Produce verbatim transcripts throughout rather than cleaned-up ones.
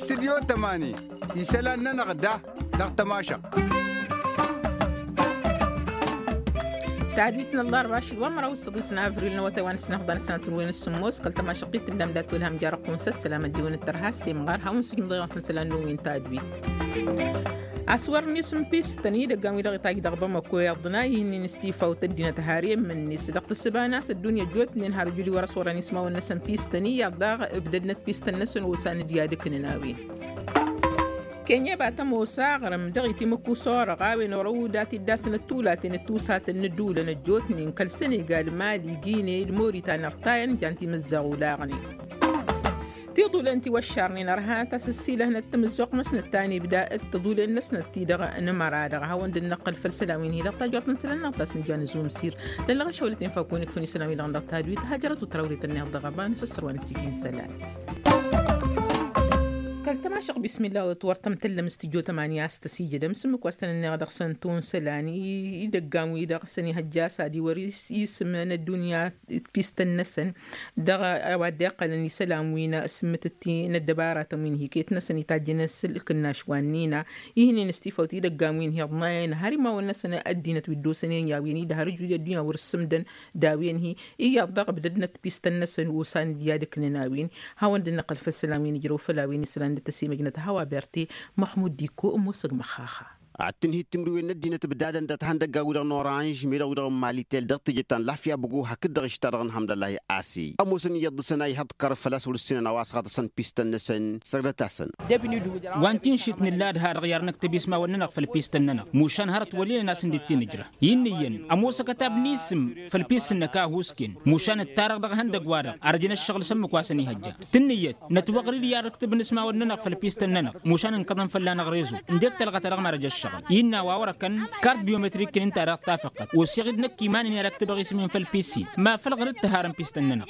Stidyo tămani isălan-nănăɣ da dăɣ-tămašăɣt. Tadwit n-ăllarba ašăl wa n-măraw s-săḍis n-avril n-awătay wa n-asǝnăɣḍan s-sănatăn wen s-sǝmmos kăl-tămašăɣt-i tǝllam dat-wălham jarăqqun s-ăssălam ăddiwăn d-tărha s-imɣar hawăn-sǝjmǝḍ i-dăɣ n-tăsălan n-wen tadwit. Aswărăn isǝm pistăn idăggan wi-dăɣ itajj dăɣ-bamăko iyyăḍ n-a ihǝnnin s-tifawt ăddinăt har i-immǝnnis dăɣ-tǝssǝba n-a-s ăddunya ăjjootnen har ǝjud-i wăr-ăṣwărăn ismawăn-năsăn pistăn iyyăḍ daɣ ǝbdădnăt pistăn-năsăn osan d-i-ad-ǝknǝn a-wen. Kenyeba tămoos aɣrǝm dăɣ-itimǝkku s-orăɣ a-wen orăw dat-iddasnăt tulaten d-tusatăn n-ǝddǝwǝlăn ăjjootnen kăl-sănegal mali gine d-moritan ărtayăn jan timǝzzaɣ olaɣnen. Tiḍulen ti wăššarnen ărha tasǝssilăhnăt timǝzzuɣt-năsnăt ta n-ibda d-tiḍulen-năsnăt ti-dăɣ n-măra-dăɣ a hawăn-dd năqqăl făll-isălan wi n-hi-dăɣ tajort n-isălan-năɣ ta s-nǝja n-azumsir. Lăllăɣ ašăwălăt infakun ikfun isălan wi-dăɣ n-dăɣ tadwit hajărăt u tărawrit ănniɣ dăɣ-ăba n-asăssăr wa n-ăssigin isălan. Kăl-tămašăɣ bismillah wăr tăm-tăllăm s-tijjo tămani a-s tăsijădăm s-ǝmmǝk wa s-tăn-ănniɣ dăɣ-săn tun isălan idăggan wi-dăɣ s-ănihăjja a-s ad-iwăr isǝm n-ăddunya d-pistăn-năsăn. Dăɣ-a-wa dd-iqqălăn isălan wi n-asǝmmǝtǝt ti n-ăddăbaratăn wi n-hiket-năsăn itajjăn s-ǝlkǝnnaš wa ǝnnina ihǝnen s-tifawt idăggan wi n-hi-iḍnayăn har imawăn-năsăn ăddinăt wi dd-osănen i-a-wen-i d-har ǝjud i-ăddunya wăr-ǝssǝmdăn d-a-wen-hi. Iyyăḍ dăɣ-ǝbdădnăt pistăn-năsăn osan d-i-ad-ǝknǝn a-wen. Hawăn-dd-năqqăl făll-isălan wi n-ǝjrăw făll-a-wen isălan d-tăsimăjnăt a hawa berte. Măxmud dikko ămoosăg măxxaxa. Ad-tǝnhǝy timǝrwen n-ăddinăt ǝbdadăn dat-ihăndăggan-wi-dăɣ n-oranž meddăɣ-wi-dăɣ n-malitel dăɣ-teje ta n-lafya băgo hakd-dăɣ ǝšta dăɣ-inhămdăllah i-asi ămoosăn iyyăḍ dăɣ-săn a ihăḍkăr făl-a-s wăr-ǝssinăn a-wa s-ɣaḍăsăn pistăn-năsăn. Săgdăt-asăn. Wa n-tinšit nǝlla d-ha-dăɣ i-ar năktăb ismawăn-nănăɣ făll-pistăn-nănăɣ mušan hărăt wăl' inăn a-s ǝndǝt-in ǝjrăh. Innă iyyăn ămoos ăkătab n-isǝm făll-pis-năk a husken mušan ǝttarăɣ dăɣ-ihăndăgg-wa-dăɣ arjăn ăššăɣǝl s-ǝmmǝk wa s-ănihăjja. Tǝnnǝyăt nătwăɣrid i-ad-ǝktǝbăn ismawăn-nănăɣ făll-pistăn-nănăɣ mušan ǝnkăḍăn fălla-năɣ rezo. Ǝndek tălɣăt a dăɣ-marăj ăššăɣǝl innă a-wa wărăkăn kart biometrik-in ǝnta-dăɣ tafăqqăt oseɣ-dd năkk iman-in i-ad-ăktǝbăɣ isǝm-in făll-pis-in. Ma făl ɣǝr-dd tǝharăn pistăn-nănăɣ.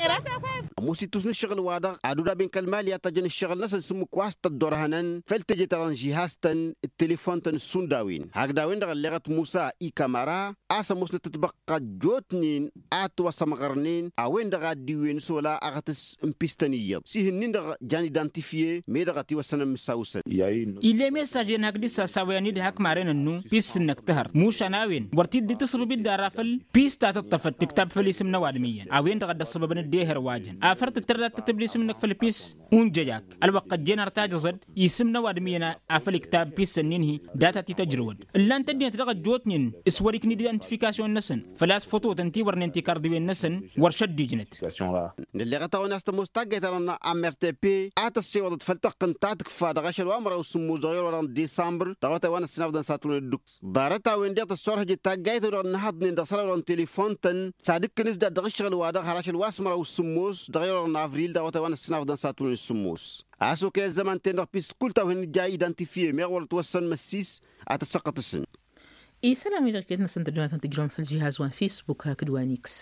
Ămoos ittus n-ǝššăɣǝl-wa-dăɣ ad-udaben kăl-mali ad-tajjăn ǝššăɣǝl-năsăn s-ǝmmǝk wa s-tăddorhănăn făll-teje-ta-dăɣ n-žihaz-tăn d-telefon-tăn s-šund a-wen hakd a-wen-dăɣ ălleɣăt musa ikamara a-s ămoosnăt ătbăqqa ăjjootnen a ătwăsămɣărnen a-wen-dăɣ a dd-iwwen s-ola aɣătǝs n-pistăn iyyăḍ s-ihǝnnin-dăɣ jan idantifye meddăɣ ătiwăssăn ămmǝsawǝsăn. Ill'-e messajăn hakd isasawăyăn-dd hak maren ănnu pis-năk tǝhăr mušan a-wen wăr t-dd-tǝssǝbǝb-dd ara făll-pis ta tǝṭṭăfăt tǝktab făll-isǝm n-ăwadǝm iyyăn a-wen dăɣ-a dd-ăssăbăbăn dd-ehăr wa jăn afăr tǝttăr dat-tǝtǝbl isǝm-năk făll-pis. Unjăjak ălwăqq ăjjeen ar tajăẓăd isǝm n-ăwadǝm iyyăn a făll-iktab pis-ănnin-hi data t-tăjrǝwăd ǝllan-t ăddinăt dăɣ-ăjjootnen s-wăr-ikna d-identifikasyon-năsăn făl-a-s fătotăn ti wărnen tikarḍiwen-năsăn. Wăr šăddijnăt. Nălleɣăt-awăn a-s tămoos taggayt-ta-dăɣ n-amrtp a tăssewăḍăt făll-tăqqǝnt ta tǝkfa dăɣ-ašăl wa n-măraw s-sǝmmos dăɣ-ewăl-wa-dăɣ n-disambăr dăɣ-awătay wa n-ăssinafḍăn s-ad-tǝwăn-dd-ǝkk ḍarăt-a-wen-dăɣ tăssorhăjăt taggayt-wa-dăɣ n-ihăḍnen dăɣ-isălan-wa-dăɣ n-telefon-tăn s-ad-ǝkkǝn s-dat dăɣ-ǝššăɣǝl-wa-dăɣ har ašăl wa s-măraw s-sǝmmos dăɣ-ewăl-wa-dăɣ n-avril dăɣ-awătay wa n-ăssinafḍăn s-ad-tǝwăn-dd-sǝmmos. A-s okăyăt zăman-ten-dăɣ pis d-kull ta-wen ija identifye meɣ wăr-ătwăssăn măssis ad-tăssăqqăt-asăn. Isălan wi-dăɣ iket-năsăn tăjjănăt n-tǝjrăm făll-žihaz wa n-fisbuk hakd wa n-iks.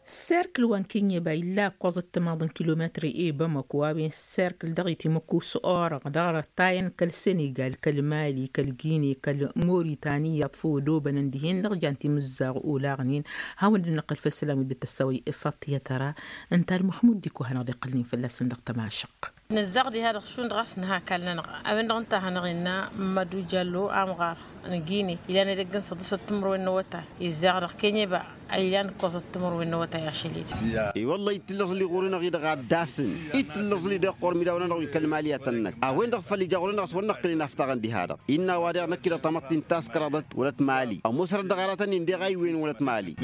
Serkǝl wa n-kenyeba illa ǝkkoẓăt timaḍ n-kilometri i-bamăko a-wen serkǝl dăɣ-itimǝkku s-orăɣ dăɣ-răttayăn kăl-senegal kăl-mali kăl-gine kăl-moritani iyyăḍ făw ădobănăn dihen-dăɣ jan timǝzzaɣ olaɣnen. Hawăn-dd-năqqăl făll-isălan wi dd-tăssawăy ifaṭ i-tăra. Ǝnta d-măxmud diko hanăɣ-dd-iqqălnen fălla-săn dăɣ-tămašăɣt. Nǝzzaɣ diha-dăɣ šund ɣas nǝha akall-nănăɣ a-wen-dăɣ ǝnta a hanăɣ-innă mămădu jallo amɣar n-gine ilan edăgg n-săḍǝsăt timǝrwen n-awătay. Izzaɣ dăɣ-kenyeba a ilan ǝkkoẓăt timǝrwen n-awătay ašăl-i-dăɣ. I-wălla-hi t-tǝllăẓli ɣur-enăɣ-i-dăɣ ad-dasǝn i t-tǝllăẓli deɣ ɣur-imidawăn-nănăɣ wi kăl-mali ad-tăn-năkk a-wen-dăɣ făl ija ɣur-enăɣ a-s wăr năqqǝl inaftaɣăn diha-dăɣ. Innă a-wa deɣ năkk-i-dăɣ tamăḍt-i n-taskăraḍăt wălăt mali ămoos hărăt dăɣ-aratăn-in deɣ a iwwen wălăt mali.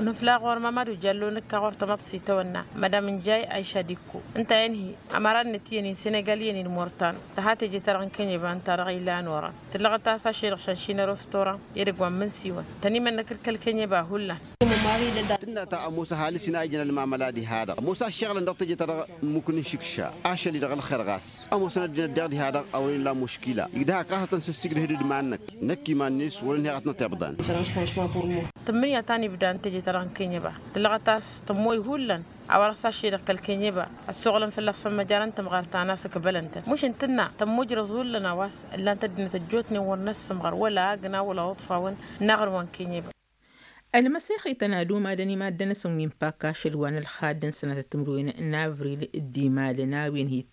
Nǝfla ɣur-mămădu jallo nǝkka ɣur-tamăḍt s-itawănna mădam n-jay ayša dikko ǝnta a inhi ămăra-net iyyăn-in senegal iyyăn-in mortan tăha teje-ta-dăɣ n-kănyeba ǝnta-dăɣ ilan oran tǝllăɣăt a-s ašăl-i-dăɣ šănšinăr ostoran edăgg wa n-imǝnsiwăn tăn-imănnăk d-kăl-kănyeba hullan. Tǝnna ta ămoos ăhalǝs-in a ijăn ălmamăla diha-dăɣ ămoos aššăɣǝlăn dăɣ-teje-ta-dăɣ n-imuk n-išǝkša ašăl-i-dăɣ ălxer ɣas ămoosăn ăddinăt daɣ diha-dăɣ a wăren ila muškila igdăh ăkasătăn s-ǝssigdăh d-iman-năk. Năkk iman-net wăr-ănheɣ ad-t-nătiḍan. Tǝmmǝnǝya ta n-ibda n-teje-ta-dăɣ n-kănyăba tǝllăɣăt a-s tămmoy hullan a-wa dăɣ-s ašăl-i-dăɣ kăl-kănyăba ăssoɣlăn fălla-s săn măjara n-tǝmɣar ta n-asǝkbălăn-tăn mušǝn tǝnna tămmoj răẓ hullan a-wa s-ǝllan-t ăddinăt ăjjootnen wăr n-ăssǝmɣăr wăla agna wăla uḍfawăn n-aɣrǝm wa n-kănyăba. Ălmăsexităn ad-umadăn i-maddăn-năsăn wi n-pakka ašăl wa n-ălxadd n-sănatăt timǝrwen n-avril d-imalăn a-wen hi-t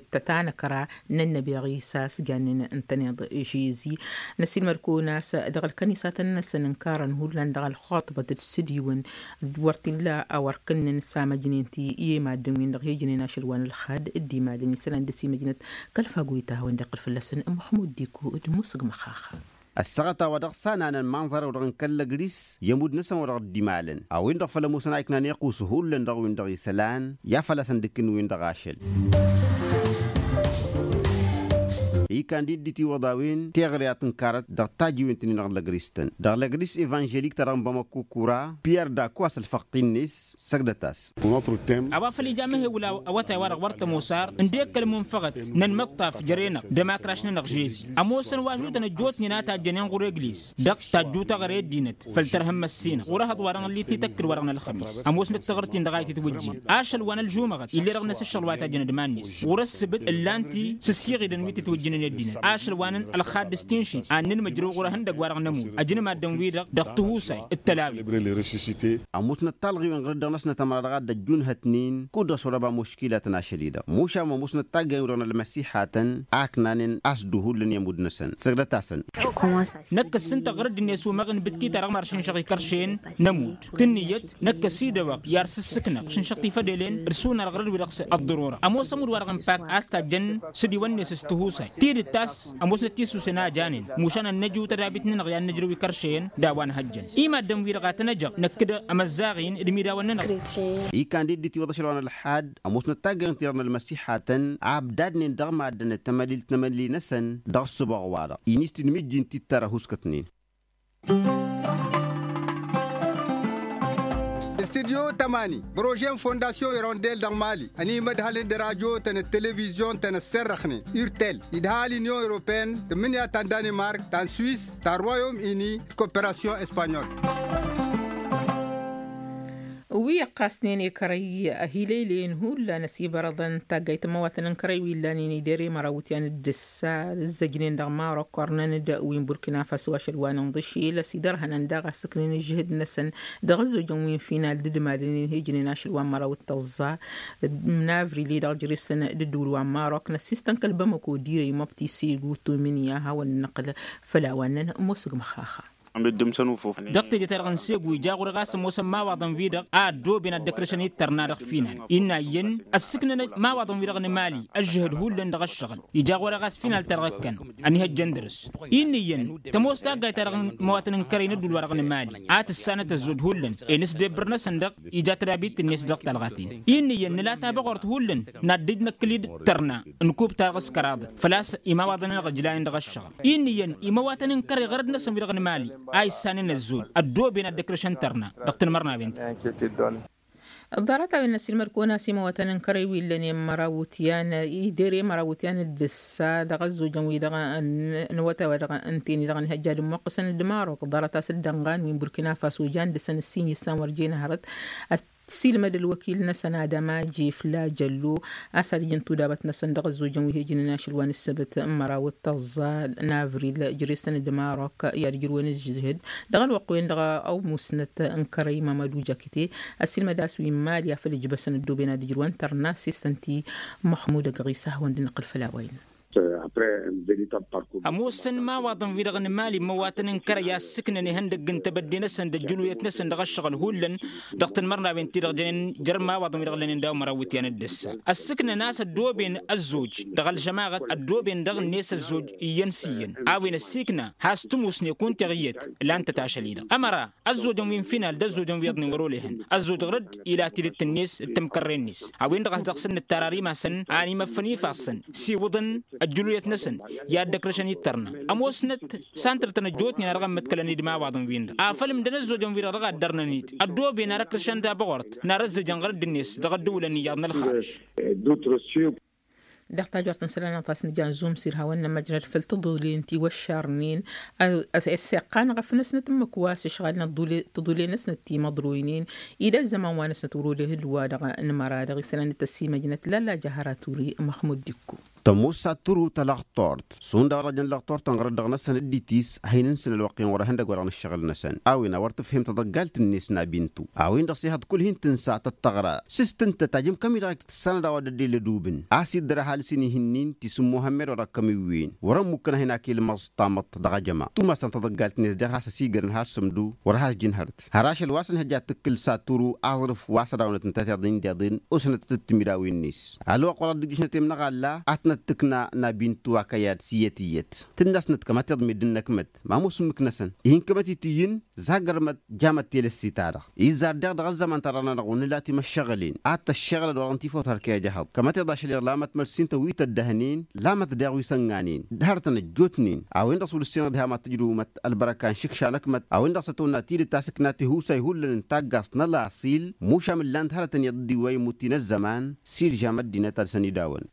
tătanăkra n-ănnăbi ɣisa s-jannen n-tăneḍ žezi. Năsilmăr-kăwăn a-s dăɣ-ălkănisatăn-năsăn ǝnkarăn hullan dăɣ-ălxuṭbăt d-sǝdiwăn d-wăr t-illa a wăr kǝnnăn s-amăjnen ti i-maddǝn-win-dăɣ hi-ǝjnen ašăl wa n-ălxad d-imalăn isălan dăr-s imăjnăt. Kăl-fagoyta a hawăn-dd-iqqǝl fălla-săn muḥmud diku d-musǝg măxax. Ăssaɣăt a-wa dăɣ-s ananăn manẓărew-dăɣ n-kăl-lăgris i-ămudd-năsăn wa dăɣ-dd-imalăn a-wen-dăɣ făll-ămoosăn a iknan iqqus hullan dăɣ-win-dăɣ isălan i-ad-fălla-săn dd-kǝnwin dăɣ-ašăl. Ikan d-dd-itiwăḍ a-wen teɣăre a tǝnkarăt dăɣ-tajiwen-tǝnnin dăɣ-lăgris-tăn dăɣ-lăgris evanželik-ta-dăɣ n-bamăkko kura piyer dako a-s ălfăɣt-in-net. Săgdăt-as. A-wa făl ija măhewǝl awătay-wa-dăɣ wăr tămoos ar ǝndek kăl-munfăɣăt n-ănmăṭṭaf jăre-năɣ d-ămakra ašăl-nănăɣ žezi. Ămoosăn wa ažutăn ăjjootnen a tajjănen ɣur-egliz dăɣ-tajju taɣăre ăddinăt făll-tărha n-măssinăɣ ɣur-ehăḍ wa dăɣ-nǝllit n-ităkkǝd wa dăɣ-nălxămis. Ămoosnăt taɣărt-in dăɣ-a itǝtwǝjjin ašăl wa n-ălžumăɣăt ill'-e dăɣ-năs ǝššăɣǝl wa ităjjăn d-iman-net ɣur-ǝssǝbǝd ǝllan-t-i s-ǝssiɣidăn wi tǝtwǝjjǝnăn i-ăddinăt ašăl wa n-ălxadd s-tinšin ad-nǝnmǝjrǝw ɣur-ehăndăgg wa dăɣ-nămul ăjnǝm addǝm-wi-dăɣ dăɣ-tihusay d-tălawi. Ămoosnăt talɣiwen ɣur-dd-dăɣ-năsnăt ămăra dăɣ-ad-dd-ăjjunhătnen kud-dăɣ s-wăr-ăba muškilatăn ašăl-i-dăɣ mušan wa ămoosnăt taggayăn-wi-dăɣ n-ălmăsihatăn a ǝknanen a-s dd-uhullan i-ămudd-năsăn. Săgdăt-asăn. Năkk ǝssǝntăɣ ɣur-dd-net umăɣ n-ibǝtki-ta-dăɣ măr šǝnšăɣ ikăršen n-ămudd tǝnnǝyăt năkk ăsidăwăɣ i-ar s-ǝssǝknăɣ šǝnšăɣ tifădelen d-sunar ɣur-dd-wi-dăɣ s-ăḍḍărora. Ămoos ămudd wa dăɣ-ănpak a-s tajjăn s-dd-iwănnes s-tihusay tidǝt ta s-ămoosnăt tisusen a janen mušan ad-năju tădabit-nănăɣ i-ad-nǝjrǝw ikăršen d-a-wa n-hăjjăn i-maddǝn-wi-dăɣ a tăn-ăjăɣ năkk d-amăzzaɣ-in d-imidawăn-nănăɣ. Ikan d-dd-itiwăḍ ašăl wa n-ălxad ămoosnăt taggayăn-ti-dăɣ n-ălmăsixatăn a ǝbdadnen dăɣ-maddănăt tămălilt n-emăli-năsăn dăɣ-ǝssǝboɣ-wa-dăɣ. Inis-t d-imǝjjin tittărăh uskătnen. Studyo tămani bărožen fondasyon irondel dăɣ-mali ănimădhălăn d-rajotăn d-televizyon-tăn ăsserrăxnen urtel idha l-inyon europeen tǝmmǝnǝya ta n-danimark ta n-swis ta n-royom ini d-koperasyon espanyol. Wi ăqqasnen i-kărăy ăhilăylăyăn hullan ăsibărăḍăn taggayt n-imăwatăn n-kărăy wi ǝllanen idere măraw ityan d-ǝssa ǝzzăjnen dăɣ-marok ărnăn-dd wi n-burkina faso ašăl wa n-inḍǝšil ăsidărhănăn daɣ a ǝssǝknen ǝžžǝhǝd-năsăn dăɣ-ăzzojăn wi n-final d-idmadăn-in hi-ǝjnen ašăl wa n-măraw d-tăẓẓa n-avril-i-dăɣ jere-săn d-ǝddǝwǝl wa n-marok năssistăn kăl-bamăko dirăy măbti segu tumǝnǝya hawăn-năqqǝl făll-a-wa ǝnnăn ămoosăg măxxaxa. Dăɣ-teje-ta-dăɣ n-segu ija ɣur-e ɣas ămoosăn imawaḍăn-wi-dăɣ a ăddooben ad-dd-ăkrăšăn i-dd-tărna dăɣ-final. Innă iyyăn ăssǝknăn imawaḍăn-wi-dăɣ n-imali ăžžăhăd hullan dăɣ-ăššăɣǝl ija ɣur-e ɣas final-ta-dăɣ ǝkkăn ănihăjjăn dăr-s. Innă iyyăn tămoos taggayt-ta-dăɣ n-imawatăn n-kărăy n-ădduul-wa-dăɣ n-imali a tǝssanăt ăzzoj hullan i-inǝsdebbǝr-năsăn dăɣ-ija tădabit-net dăɣ-talɣaten. Innă iyyăn nǝla tabăɣort hullan n-ad-dd-năkkǝl i-dd-tărna n-kub-ta-dăɣ s-kăraḍăt făl-a-s imawaḍăn-nănăɣ ǝjlayăn dăɣ-ăššăɣǝl. Innă iyyăn imawatăn n-kărăy ɣărăd-năsăn wi-dăɣ n-imali a issănen ăzzoj ăddooben ad-dd-ăkrăšăn tărna dăɣ-tanmărnawen-ti. Ḍarăt-a-wen n-ăsilmăd-kăwăn-as imawatăn n-kărăy wi ǝllănen măraw wǝtyan idere măraw wǝtyan d-ǝssa dăɣ-ăzzojăn wi-dăɣ n-awătay wa dăɣ-ǝnta i-dăɣ n-ihăjja d-ămmuqqǝsăn d-marok ḍarăt-as d-dănɣan wi n-burkina faso jan dăr-săn ǝssin issan wăr jen hărăt. Ăssiilmăd ălwăkil-năsăn adama jefla jăllo a-s ad-ǝjǝn tudabăt-năsăn dăɣ-ăzzojăn wi he-ǝjǝnen ašăl wa n-ǝssăbăt n-măraw d-tăẓẓa n-avril jere-săn d-marok i-ad-ǝjrǝwăn ǝžžǝhǝd dăɣ-ălwăqq-wen-dăɣ ăwmusnăt n-kărăy mămădu jakite. Ăssiilmăd a-s wi n-mali a făl ǝjbăsăn ăddooben ad-ǝjrǝwăn tărna s-e-s tăn-ti măxmud ăgg ɣisa a hawăn-dd-năqqǝl făll-a-wa innă. Ămoosăn imawaḍăn-wi-dăɣ n-imali n-imăwatăn n-kărăy a ǝssǝknăn ihăndăgg n-tebădde-năsăn d-ăjjǝluyăt-năsăn dăɣ-ăššăɣǝl hullan dăɣ-tanmărnawen-ti-dăɣ jănen jer-imawaḍăn-wi-dăɣ ǝllănen daw-măraw iwǝtyan d-ǝssa. Ăssǝknăn a-s ăddooben ăzzoj dăɣ-ălžămaɣăt ăddooben dăɣ-net ăzzoj iyyăn s-iyyăn a-wen ăssiikna has-tǝmusne kunta iyyăt. Lan-tăt ašăl-i-dăɣ ămăra ăzzojăn wi n-final d-ăzzojăn wi iyyăḍnen wăr olehăn ăzzoj ɣur-dd ila tidǝt-net d-tamkărre-net. A-wen-dăɣ a-s dăɣ-săn nǝttarăr imasăn a ănimăffăn ifassăn s-iwǝḍăn ăjjǝluyăt-năsăn i-ad-dd-ăkrăšăn i-dd-tărna. Ămoosnăt santăr-tăn ăjjootnen a dăɣ-ămmăḍkălăn-dd imawaḍăn-win-dăɣ afăl ǝmdăn ăzzojăn-wi-dăɣ dăɣ-a dd-ărnăn-dd ăddooben ad-ăkrăšăn tabăɣort n-arăzzăjăn ɣărădd-net dăɣ-ăddǝwǝlăn iyyăḍ n-ălxarăž. Dăɣ-tajort n-isălan a ɣas nǝja n-zumsir hawăn-nămăjrăd făll-tăḍulen ti wăššarnen. Ăssiqqanăɣ ăfnăsnăt ǝmmǝk wa s-ǝšɣalnăt tăḍulen-năsnăt ti măḍroynen ila ăzzăman wa năsnăt wăr-olehǝd wa-dăɣ n-măra-dăɣ isălan d-tăsimăjnăt lalla jahăra turi măxmud dikku. Tămoos s-ad-tǝru talăɣtort šund a-wa dăɣ-jăn lăɣtort ănɣărăt dăɣ-năsăn dd-itis a hin-ǝnsǝn ălwăqq-en wăr-ehăn dăgg-wa-dăɣ n-ǝššăɣǝl-năsăn a-wen a wăr tǝfhem tăḍăggalt-net n-abintu a-wen-dăɣ s-ihăḍ kull hin-tǝnsa tăt-tăɣra s-s tǝntăt ajǝm kămi-dăɣ a k-tǝssanăd a-wa dd-ăddel ădubǝn a-s iddăr ăhalǝs-in ihǝnnin ti s-ǝmmuhămmed wa dăɣ-kămiwwen wăr-ămmukkăn a hin-ak-ilmăẓ tamăḍt dăɣ-ajăma tumasăn tăḍăggalt-net daɣ has-ăsigărăn har sǝmdu wăr has-jǝnhărt har ašăl wa s-ănhăjja ad-tǝkkǝl s-ad-turu aẓrǝf wa s-ădawnăt ǝnta tiḍǝy n-deḍen osănăt tăt-tǝmmidawen-net. Ălwăqq wa dăɣ-dd-ǝjjǝšnăt i-imnăɣalla ad-tănăt-tǝkna n-abintu akăyad s-iyyăt iyyăt tǝnna-snăt kămăteḍ meddǝn n-ăkmăt ma ămoos ǝmmǝk-năsăn ihi n-kămăt-i tǝyyǝn. Zagărmăt jamăt telăsse-ta-dăɣ izzar daɣ dăɣ-ăzzăman ta dăɣ-nănăɣ wăr nǝla timăššăɣǝlen ad-tăššăɣǝlăd wa dăɣ-nătifăwt hărkăy ăjăhăḍ kămăteḍ ašăl iḍlamăt măr s-intăn wi tăddăhnen lamăt daɣ wi s-ănnănen d-hărătăn ăjjootnen a-wen-dăɣ s-wăr-ǝssinăɣ diha ma tǝjrǝwmăt ălbărăka n-išǝkša n-ăkmăt a-wen-dăɣ s-ătwănna tidǝt a-s ǝkna tihusay hullan n-taggaẓt n-ălaṣil mušam ǝllan-t hărătăn iyyăḍ dd-iwway imutti n-ăzzăman. S-ilžam ăddinăt ad-săn-idawăn.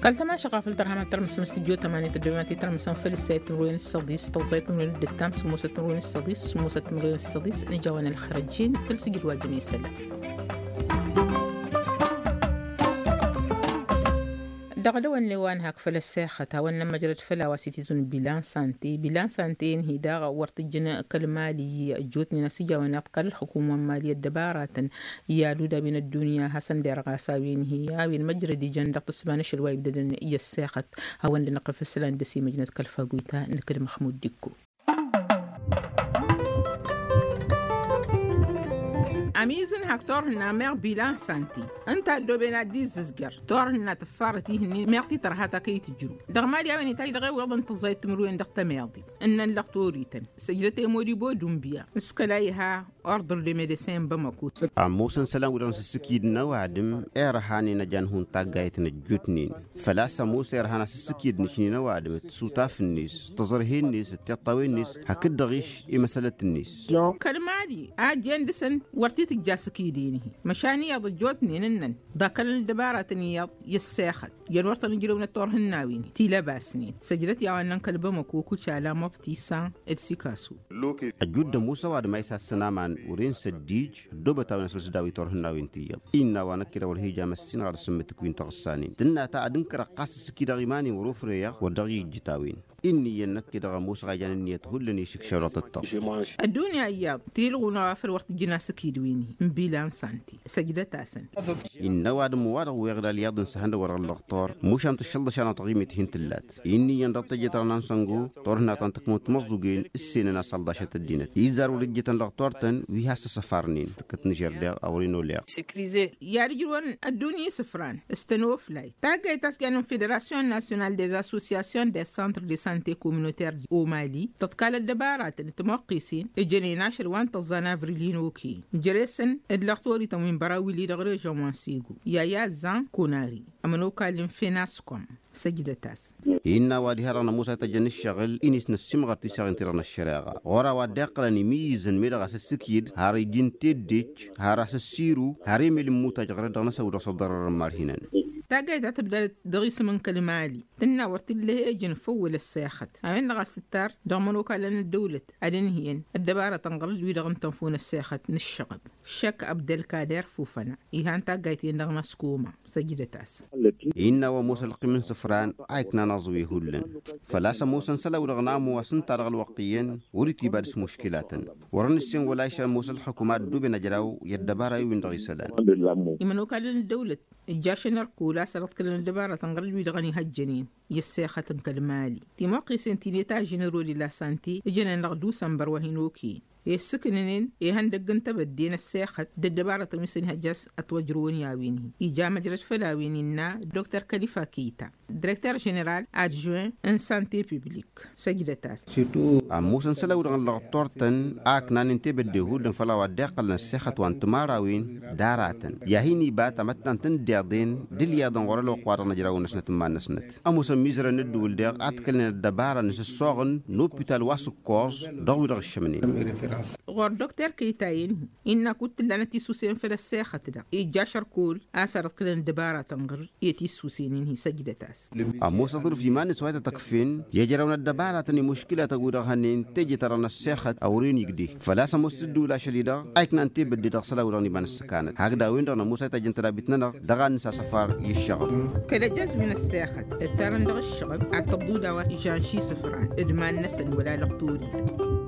Kăl-tămašăɣ afăl tărham ad-tărmǝsăm s-tǝjjo tămani tăddoyăn ad-t-tărmǝsăm făll-ǝssayăt timǝrwen s-săḍis tăẓẓayăt timǝrwen d-ǝttam sǝmmosăt timǝrwen s-săḍis sǝmmosăt timǝrwen s-săḍis. N-ijawăn ălxărăjjen făll-sǝjǝd wa jăn-isălan. Dăɣ-dăwănne wa n-hak făll-ăssexăt hawăn-nămmăjrăd făll-a-wa s-ititun bilan sante bilan sante n-hi-dăɣ wăr t-ǝjjǝn kăl-mali ăjjootnen a-s ijawăn iḍkal ălxukum wa n-mali ăddăbaratăn i-alud a-wen ăddunya a hasăn-derɣas a-wen hi-a-wen măjrăd ijăn dăɣ-tǝssǝba n-ašăl wa ibdădăn i-ăssexăt. Hawăn-dd-năqqǝf isălan dăr-s imăjnăt kăl-fagoyta nǝkǝd măxmud d-ikko. Ămizǝn hak turhǝnna meɣ bilan santi ǝnta ăddooben ad-dd-izzǝzjăr turhǝnna tǝffarăt ihǝnnin meɣ ti tărha ta kăy-tǝjrǝw dăɣ-mali a-wen itaj dăɣ-ewweḍ n-tǝẓẓayăt timǝrwen dăɣ-tămeḍi ǝnnăn lăɣtorităn. Săjdăt i-modibo dunbiya s-kăla iha ordre de medecin n-bamako. Ămoosăn isălan-wi-dăɣ n-asǝssǝkyǝd n-ăwadǝm irhanen ăjan hun taggayt n-ăjjootnen făl-a-s ămoos irhan asǝssǝkyǝd n-ašni n-ăwadǝm d-tisutaf-net d-taẓărhe-net d-tiṭṭawen-net hakd-dăɣ-iš imăsălăt-net. Kăl-mali a ăjjeen dăɣ-săn wăr t-tǝjja asǝkyǝd-en-hi măšan iyyăḍ ăjjootnen ǝnnăn ḍakălăn ăddăbaratăn iyyăḍ i-ăssexăt. Jăn wăr tăn-ǝjrăwnăt turhǝnnawen tilăbasnen săjdăt i-a-wa ǝnnăn kăl-bamăko kucala mobtisan d-sikasu. Ăjjudd ămoos ăwadǝm a isassăn aman wăren săddij ăddoobăt-awăn a-s wăr s-daw-i turhǝnnawen ti iyyăḍ innă a-wa năkk-i-dăɣ wăr hi-ija măssinăɣ ad-asǝmmǝtǝk wi n-taɣǝssanen tǝnna ta ad-ǝnkărăɣ ɣas ǝssǝkidăɣ iman-in wăr-ofreyăɣ wăr dăɣ-i ijjǝt a-wen. Inn'-iyyăn năkk-i-dăɣ ămoosăɣ a ijan ǝnniyăt hullan i-išǝkšaw dăɣ-tăttăɣ. Ăddunya iyyăḍ tilɣun a-wa făl wăr tǝjjǝn asǝkid wi-ni n-bilan santi săjdăt-asăn. Innă ăwadǝm wa-dăɣ weɣ d-alyaḍ n-săhăndăg wa dăɣ-ăllăɣtor mušam tǝššălḍăš-anăɣ taɣimit hin-tǝllat. Inn'-iyyăn dăɣ-tejăt-anăɣ n-ansăngo turhǝnna ta n-tăkmăwt timăẓẓugen ǝssenăn asălḍašăt ăddinăt izzar wăr-ijjǝtăn lăɣtor-tăn wi has-tăsăfarnen tǝkkăt n-žerdeɣ a wăr-in-oleɣ. I-ad-ǝjrǝwăn ăddunya isǝfran s-tănoflay taggayt ta s-jannen n-federasyon nasyonal des associasyons des centres de sante communautaire omali tăḍkal ăddăbaratăn d-timoqqisen ǝjănen ašăl wa n-tăẓẓa n-avril hin-okăyăn jere-săn d-lăɣtorităn wi n-băraw wǝlli dăɣ-režyon wa n-sego i-a iyyăẓẓan konari ămănokal n-fenaskom. Săjdăt-as. Innă a-wa diha-dăɣ nămoos a ităjjăn ǝššăɣǝl-i n-isnăssimɣăr tiseɣen-ti-dăɣ n-ăššăreɣa ɣur-a-wa dd-iqqălăn imǝyyǝzăn meddǝɣ asǝssǝkyǝd har iji n-teddej har asǝssiru har emel n-imutaj ɣărăt dăɣ-năsăn wi-dăɣ s-ăḍḍărăr n-imarhinăn. Taggayt ta tǝbdad dăɣ-isǝm n-kăl-mali tǝnna wăr t-illa ehejăn făw wăla ăssexăt a-wen-dăɣ a-s tǝttar dăɣ-imănokalăn n-ăddăwlăt ad-ǝnhǝyăn ăddăbarăt ănɣăr-dd wi-dăɣ n-tănfun ăssexăt n-ǝššăɣăb. Šăkk abdălkader fufăna ihan taggayt-en dăɣ-maskuma. Săjdăt-as. Innă a-wa ămoos ălqim n-isǝfran a iknan aẓwi hullan făl-a-s ămoosăn isălan-wi-dăɣ n-amo a-s ǝnta dăɣ-ălwăqq iyyăn wăr-itibad s-muškilatăn. Wăr-nǝssen wăla išăl ămoos ălxukuma ăddooben ajraw i-ăddăbara i-win-dăɣ isălan. Imănokalăn n-ăddăwlăt ǝjjašăn ărkul a-s ălăḍkălăn ăddăbarăt ănɣăr-dd wi-dăɣ ănihăjjănen i-ăssexăt n-kăl-mali timoqqisen ti n-eta ženero de la sante ǝjănen dăɣ-dusănbăr wa hin-okăyăn i-ǝssǝknănen ihăndăgg n-tebădde n-ăssexăt d-ăddăbarătăn wi s-ănihăjja a-s ătwăjrăwăn i-a-wen-hi ija măjrăd făll-a-wen innă. Dr kălifa keta direkter ženeral adžuin n-sante publik. Săjdăt-as. Ămoosăn isălan-wi-dăɣ n-lăɣtor-tăn a ǝknanen tebădde hullan făll-a-wa dd-iqqălăn ăssexăt wa n-timărawin d-aratăn i-ad-hin-iba tamăttant n-deḍen d-ǝlyaḍăn ɣur-ălwăqq-wa-dăɣ n-ăjrawăn-năsnăt n-iman-năsnăt. Ămoosăn imizărăn n-ǝddǝwǝl daɣ a t-kălnen ăddăbara n-asǝssoɣăn n-opital wa s-ǝkkoẓ dăɣ-wi-dăɣ ǝššămnen. Ɣur-dokter kăy-tayăn-hi innă kud t-ǝllanăt tisusen făll-ăssexăt-dăɣ ijja ašăr kull a-s ărḍkǝlăn ăddăbaratăn ɣur-i tissusen-in-hi săjdăt-as. Ămoos aḍrǝf iman-net wa ităt-ăkfen i-ăjrăwăn ăddăbaratăn i-muškǝlatăn wi-dăɣ hănen teje tărăn ăssexăt a wăren igde. Făl-a-s ămoos tǝddǝwǝl ašăl-i-dăɣ a iknan tebădde dăɣ-isălan wi-dăɣ n-iba n-ǝssǝkanăt hakd a-wen-dăɣ nămoos a ităjjăn tădabit-nănăɣ dăɣ-ad-nǝsasăfar i-ǝššăɣǝb. Kăl-ăjjăz wi n-ăssexăt ǝttarăn dăɣ-ǝššăɣǝb ad-tăḍḍu d-a-wa ižan šisǝfran d-iman-năsăn wăla lăqtori.